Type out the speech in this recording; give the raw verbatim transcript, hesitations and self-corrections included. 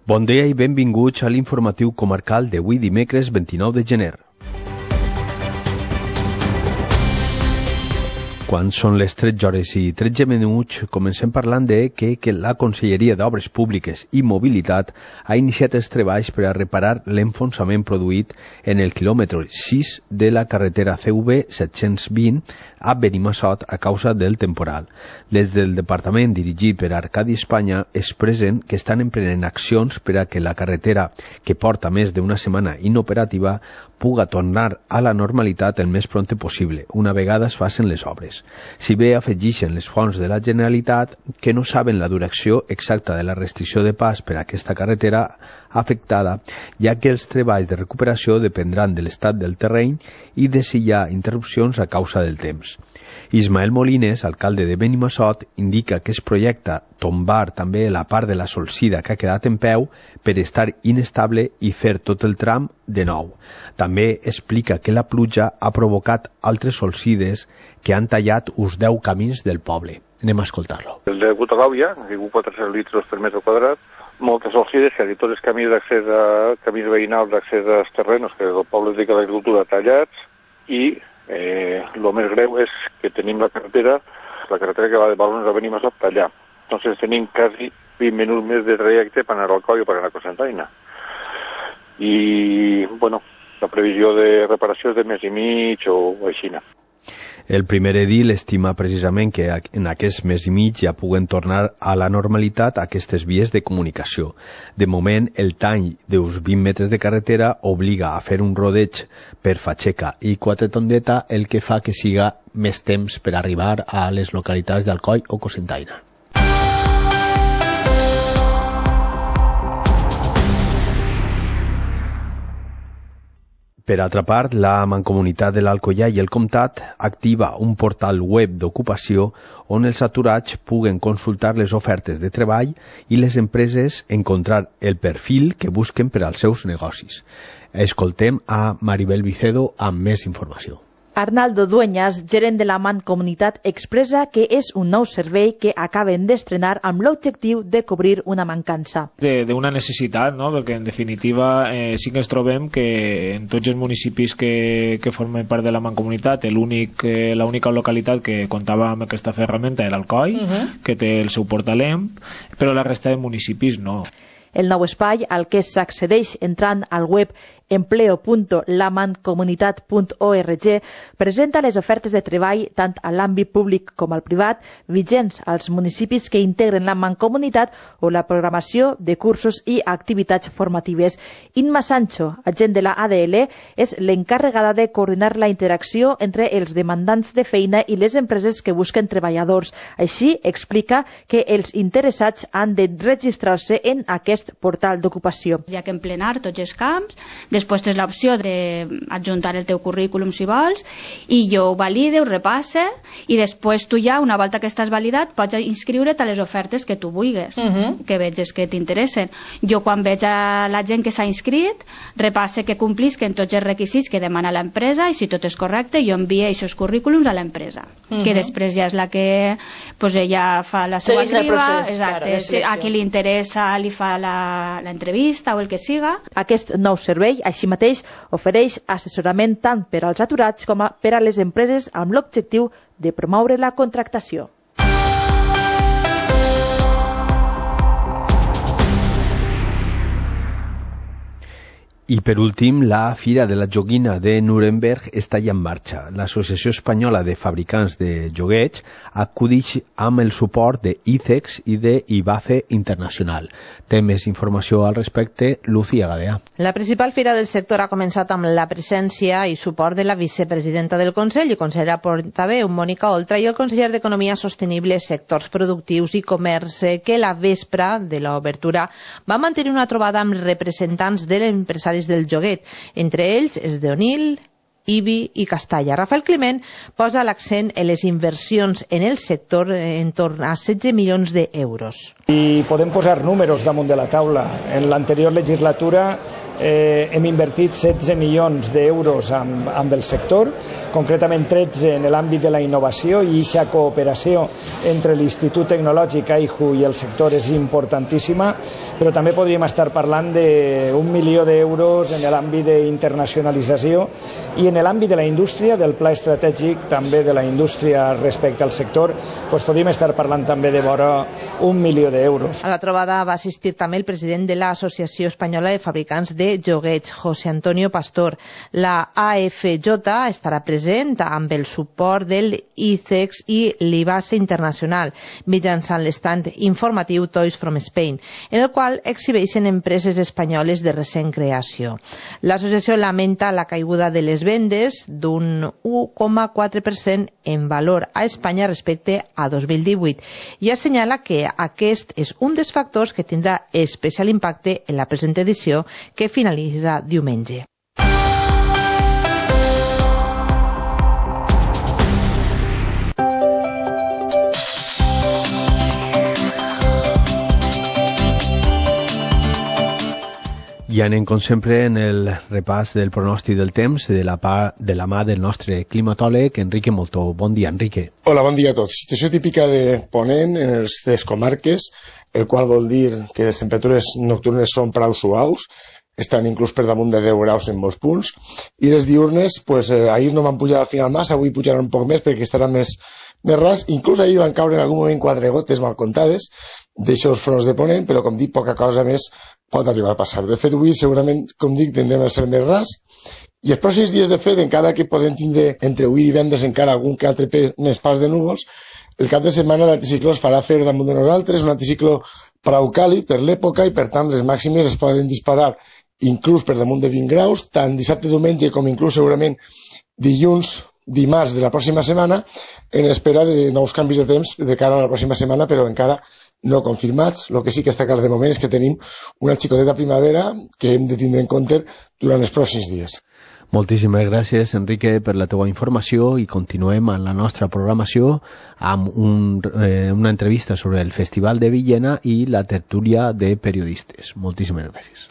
Bon dia i benvinguts a l'informatiu comarcal d'avui dimecres vint-i-nou de gener. Quan són les tretze hores i tretze minuts, comencem parlant de que, que la Conselleria d'Obres Públiques i Mobilitat ha iniciat els treballs per a reparar l'enfonsament produït en el quilòmetre sis de la carretera C V set-cents vint a Benimassot a causa del temporal. Des del departament dirigit per Arcadi Espanya expressen que estan emprenent accions per a que la carretera, que porta més d'una setmana inoperativa, puga tornar a la normalitat el més prompte possible, una vegada es facin les obres. Si bé afegeixen les fonts de la Generalitat que no saben la duració exacta de la restricció de pas per a aquesta carretera afectada, ja que els treballs de recuperació dependran de l'estat del terreny i de si hi ha interrupcions a causa del temps. Ismael Molines, alcalde de Benimassot, indica que es projecta tombar també la part de la solsida que ha quedat en peu per estar inestable i fer tot el tram de nou. També explica que la pluja ha provocat altres solsides que han tallat uns deu camins del poble. Anem a escoltar-lo. El de Gutagàuia, que diu quatre-cents litres per metre quadrat, moltes solsides, que tots els camins d'accés a camins veïnals d'accés als terrenos que el poble dedica a l'agricultura tallats, i el eh, més greu és que tenim la carretera, la carretera que va de Balones a Benimassot allà. Entonces tenim quasi vint minuts més de trajecte per anar al Coll o per anar a Cocentaina. I, bueno, la previsió de reparació és de mes i mig o, o així. El primer edil estima precisament que en aquest mes i mig ja puguen tornar a la normalitat aquestes vies de comunicació. De moment, el tall d'uns vint metres de carretera obliga a fer un rodeig per Fatxeca i Quatretondeta, el que fa que siga més temps per arribar a les localitats d'Alcoi o Cocentaina. Per altra part, la Mancomunitat de l'Alcoià i el Comtat activa un portal web d'ocupació on els aturats puguen consultar les ofertes de treball i les empreses encontrar el perfil que busquen per als seus negocis. Escoltem a Maribel Vicedo amb més informació. Arnaldo Dueñas, gerent de la Mancomunitat, expressa que és un nou servei que acaben d'estrenar amb l'objectiu de cobrir una mancança. D'una necessitat, no? Perquè en definitiva eh, sí que ens trobem que en tots els municipis que, que formen part de la Mancomunitat l'únic, eh, l'única localitat que comptava amb aquesta ferramenta era Alcoi, uh -huh. que té el seu portal E M P, però la resta de municipis no. El nou espai, al que s'accedeix entrant al web empleo punt la mancomunitat punt org, presenta les ofertes de treball tant a l'àmbit públic com al privat, vigents als municipis que integren la Mancomunitat, o la programació de cursos i activitats formatives. Inma Sancho, agent de la A D L, és l'encarregada de coordinar la interacció entre els demandants de feina i les empreses que busquen treballadors. Així, explica que els interessats han de registrar-se en aquest portal d'ocupació. Hi ha que emplenar tots els camps, després tens l'opció d'adjuntar el teu currículum si vols, i jo ho valide, ho repasse, i després tu ja, una volta que estàs validat, pots inscriure't a les ofertes que tu vulguis, uh -huh. que veges que t'interessen. Jo, quan veig a la gent que s'ha inscrit, repasse que complisquen tots els requisits que demana l'empresa, i si tot és correcte, jo envio aquests currículums a l'empresa, uh -huh. que després ja és la que pues, ella fa la seva criba, exacte, claro, a qui li interessa li fa l'entrevista o el que siga. Aquest nou servei, així mateix, ofereix assessorament tant per als aturats com per a les empreses amb l'objectiu de promoure la contractació. I per últim, la Fira de la Joguina de Nuremberg està ja en marxa. L'Associació Espanyola de Fabricants de Joguets acudix amb el suport de I C E X i de Ibace Internacional. Té més informació al respecte, Lucía Gadea. La principal fira del sector ha començat amb la presència i suport de la vicepresidenta del Consell i consellera portaveu, Mònica Oltra, i el conseller d'Economia Sostenible, Sectors Productius i Comerç, que la vespra de l'obertura va mantenir una trobada amb representants de l'empresari del joguet, entre ells els d'Onil, Ibi i Castalla. Rafael Climent posa l'accent en les inversions en el sector en torn a setze milions d'euros. I podem posar números damunt de la taula. En l'anterior legislatura eh, hem invertit setze milions d'euros amb, amb el sector concretament tretze en l'àmbit de la innovació, i aquesta cooperació entre l'Institut Tecnològic A I H U i el sector és importantíssima, però també podríem estar parlant d'un milió d'euros en l'àmbit d'internacionalització i en l'àmbit de la indústria, del pla estratègic també de la indústria respecte al sector, doncs podríem estar parlant també de vora un milió d'euros. A la trobada va assistir també el president de l'Associació Espanyola de Fabricants de Joguets, José Antonio Pastor. La A F J estarà present amb el suport del I C E X i l'Ibase Internacional, mitjançant l'estant informatiu Toys from Spain, en el qual exhibeixen empreses espanyoles de recent creació. L'associació lamenta la caiguda de les vendes d'un u coma quatre per cent en valor a Espanya respecte a dos mil divuit i assenyala que aquest és un dels factors que tindrà especial impacte en la present edició que finalitza diumenge. I anem, com sempre, en el repàs del pronòstic del temps de la, pa, de la mà del nostre climatòleg, Enrique Moltó. Bon dia, Enrique. Hola, bon dia a tots. Situació típica de Ponent en les tres comarques, el qual vol dir que les temperatures nocturnes són prou suaus, estan inclús per damunt de deu graus en molts punts, i les diurnes, pues, eh, ahir no van pujar al final massa, avui pujaran un poc més perquè estaran més, més ras. Inclús ahir van caure en algun moment quatre gotes mal comptades d'aixòs fronts de Ponent, però com dic, poca cosa més pot arribar a passar. De fet, avui segurament, com dic, tendrem a ser més ras, i els pròxims dies, de fet, encara que podem tindre entre avui i divendres encara algun que altre més pas de núvols, el cap de setmana l'anticicló es farà fer damunt de nosaltres, un anticicló prou càlid per l'època, i per tant les màximes es poden disparar inclús per damunt de vint graus, tant dissabte, diumenge com inclús segurament dilluns, dimarts de la pròxima setmana, en espera de nous canvis de temps de cara a la pròxima setmana, però encara no confirmats. El que sí que està clar de moment és que tenim una xicoteta primavera que hem de tindre en compte durant els pròxims dies. Moltíssimes gràcies, Enrique, per la teva informació, i continuem amb la nostra programació amb un, eh, una entrevista sobre el Festival de Villena i la tertúlia de periodistes. Moltíssimes gràcies.